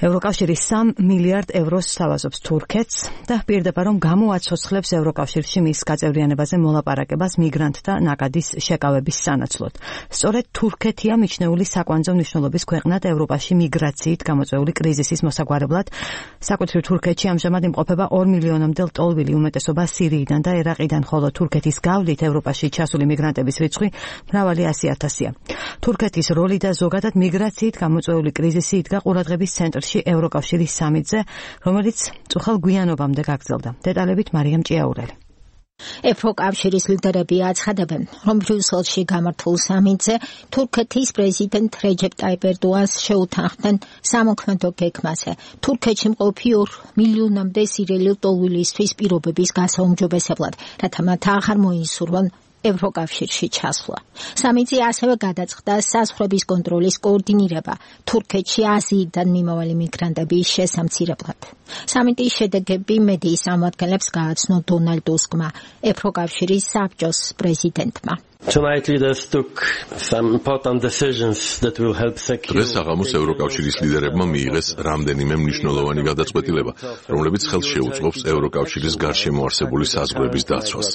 ევროკავშირი 3 მილიარდ ევროს სთავაზობს თურქეთს და პირდება რომ გამოაცოცხლებს ევროკავშირში მის გაწევრიანებაზე მოლაპარაკებას მიგრანტთა ნაკადის შეკავების სანაცვლოდ. სწორედ თურქეთია მიჩნეული საკვანძო მნიშვნელობის ქვეყნად ევროპაში მიგრაციით გამოწვეული კრიზისის მოსაგვარებლად. საკუთრივ თურქეთში ამჟამად იმყოფება 2 მილიონამდე ლტოლვილი, უმეტესობა სირიიდან და ერაყიდან, ხოლო თურქეთის გავლით ევროპაში ჩასული მიგრანტების რიცხვი მრავალი 100,000-ია. თურქეთის როლი და ზოგადად მიგრაციით გამოწვეული კრიზისი იდგა ყურადღების ცენტრში ევროკავშირის სამიტზე, რომელიც წუხელ გვიანობამდე გაგრძელდა. დეტალებით მარიამ ჭიაურელი. ევროკავშირის ლიდერები აცხადებენ, რომ ბრიუსელში გამართულ სამიტზე თურქეთის პრეზიდენტ რეჯეპ ტაიპ ერდოღანს შეუთანხმდნენ სამოქმედო გეგმაზე. თურქეთში მყოფი 2 მილიონამდე სირიელი ლტოლვილისთვის პირობების გასაუმჯობესებლად, რათა მათ აღარ მოისურვონ ევროკავშირში ჩასვლა. სამიტზე ასევე გადაწყდა საზღვრების კონტროლის კოორდინირება თურქეთში აზიიდან მიმავალი მიგრანტების შესამცირებლად. სამიტის შედეგები მედიის წარმომადგენლებს გააცნო დონალდ ტუსკმა, ევროკავშირის საბჭოს პრეზიდენტმა. Tonight leaders took some important decisions that will help secure. დღეს საღამოს ევროკავშირის ლიდერებმა მიიღეს რამდენიმე მნიშვნელოვანი გადაწყვეტილება, რომლებიც ხელს შეუწყობს ევროკავშირის გარშემო არსებული საზღვრების დაცვას.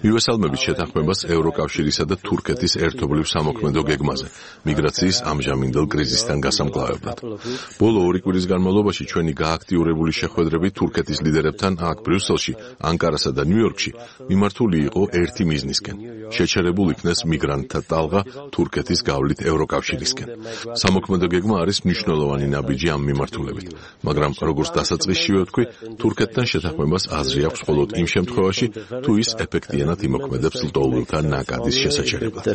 მივესალმებით შეთანხმებას ევროკავშირისა და თურქეთის ერთობლივ სამოქმედო გეგმაზე, მიგრაციის ამჟამინდელ კრიზისთან გასამკლავებლად. ბოლო 2 კვირის განმავლობაში ჩვენი გააქტიურებული შეხვედრები თურქეთის ლიდერებთან აქ ბრიუსელში, ანკარასა და ნიუ-იორკში მიმართული იყო ერთი მიზნისკენ. შეჩერებულ იქნეს მიგრანტთა ტალღა თურქეთის გავლით ევროკავშირისკენ. სამოქმედო გეგმა არის მნიშვნელოვანი ნაბიჯი ამ მიმართულებით, მაგრამ როგორც დასაწყისშივე ვთქვი, თურქეთთან შეთანხმებას აზრი აქვს მხოლოდ იმ შემთხვევაში, თუ ის ეფექტიანად იმოქმედებს ლტოლვილთა ნაკადის შესაჩერებლად.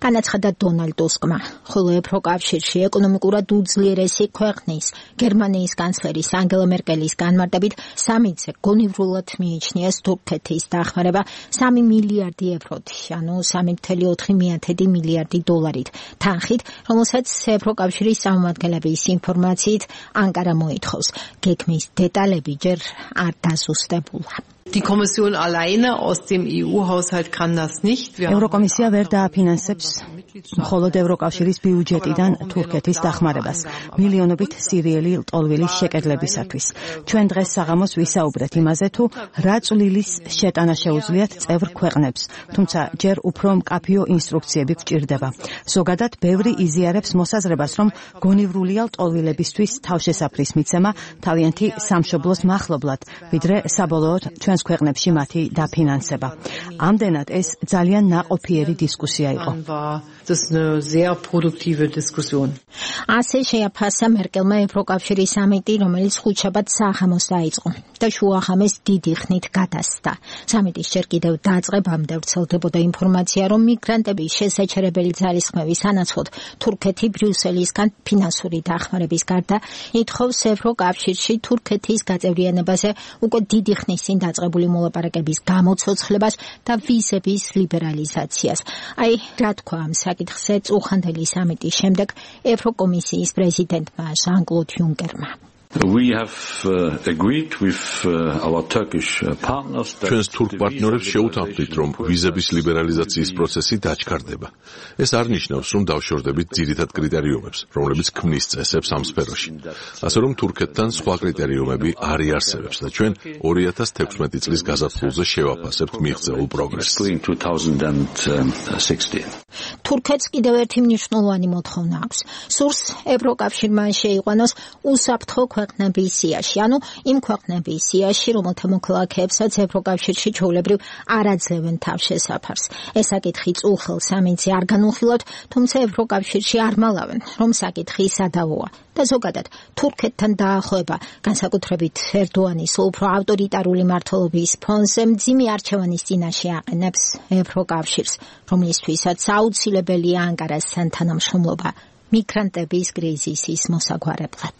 განაცხადა დონალდ ტუსკმა, ხოლო ევროკავშირში ეკონომიკურად უძლიერესი ქვეყნის, გერმანიის კანცლერის ანგელა მერკელის განმარტებით სამიტზე გონივრულად მიიჩნიეს თურქეთის დახმარება 3 მილიარდი ევროთ, ანუ 3,4 მილიარდი დოლარით, თანხით, რომელსაც ევროკავშირის წარმომადგენლების ინფორმაციით ანკარა მოითხოვს. გეგმის დეტალები ჯერ არ დაზუსტებულა. Die Kommission alleine aus dem EU-Haushalt kann das nicht. ევროკომისია ვერ დააფინანსებს მხოლოდ ევროკავშირის ბიუჯეტიდან თურქეთის დახმარებას მილიონობით სირიელი ლტოლვილის შეკედლებისათვის. ჩვენ დღეს საღამოს ვისაუბრეთ იმაზე, თუ რა წვლილის შეტანა შეუძლიათ წევრ ქვეყნებს, თუმცა ჯერ უფრო მკაფიო ინსტრუქციები გვჭირდება. ზოგადად, ბევრი იზიარებს მოსაზრებას, რომ გონივრულია ლტოლვილებისთვის თავშესაფრის მიცემა თავიანთი სამშობლოს მახლობლად, ვიდრე საბოლოოდ ჩვენს ქვეყნებში მათი დაფინანსება. ამდენად ეს ძალიან ნაყოფიერი დისკუსია იყო. ასე შეაფასა მერკელმა ევროკავშირის სამიტი, რომელიც ხუთშაბათ საღამოს დაიწყო და შუაღამეს დიდი ხნით გადასცა. სამიტის ჯერ კიდევ დაწყებამდე ვრცელდებოდა ინფორმაცია, რომ მიგრანტების შესაჩერებელი ძალისხმევის სანაცვლოდ თურქეთი ბრიუსელისგან ფინანსური დახმარების გარდა ითხოვს ევროკავშირში თურქეთის გაწევრიანებაზე უკვე დიდი ხნის წინ დაწყებული მოლაპარაკების გამოცოცხლებას და ვიზების ლიბერალიზაციას. აი, რა თქვა ამ საკითხზე წუხანდელი სამიტის შემდეგ ევროკომისიის პრეზიდენტმა ჟან-კლოდ იუნკერმა. We have agreed with our Turkish partners. ჩვენს თურქ პარტნიორებს შეუთანხმდით, რომ ვიზების ლიბერალიზაციის პროცესი დაჩქარდება. ეს არ ნიშნავს, რომ დავშორდებით ძირითად კრიტერიუმებს, რომლებიც ქმნის წესებს ამ სფეროში. ასე რომ თურქეთთან სხვა კრიტერიუმები არ იარსებებს და ჩვენ 2016 წლის გაზაფხულზე შევაფასებთ მიღწეულ პროგრესს. თურქეთს კიდევ ერთი მნიშვნელოვანი მოთხოვნა აქვს. სურს ევროკავშირმა შეიყვანოს უსაფრთხო ქვეყნების სიაში, ანუ იმ ქვეყნების სიაში, რომელთა მოქალაქეებსაც ევროკავშირში ჩვეულებრივ არ აძლევენ თავშესაფარს. ეს საკითხი წუხელ სამიტზე არ განუხილავთ, თუმცა ევროკავშირში არ მალავენ, რომ საკითხი სადავოა. და ზოგადად, თურქეთთან დაახლოება, განსაკუთრებით ერდოანის უფრო ავტორიტარული მმართველობის ფონზე მძიმე არჩევანის წინაშე აყენებს ევროკავშირს, რომლისთვისაც აუცილებელია ანკარასთან თანამშრომლობა მიგრანტების კრიზისის მოსაგვარებლად.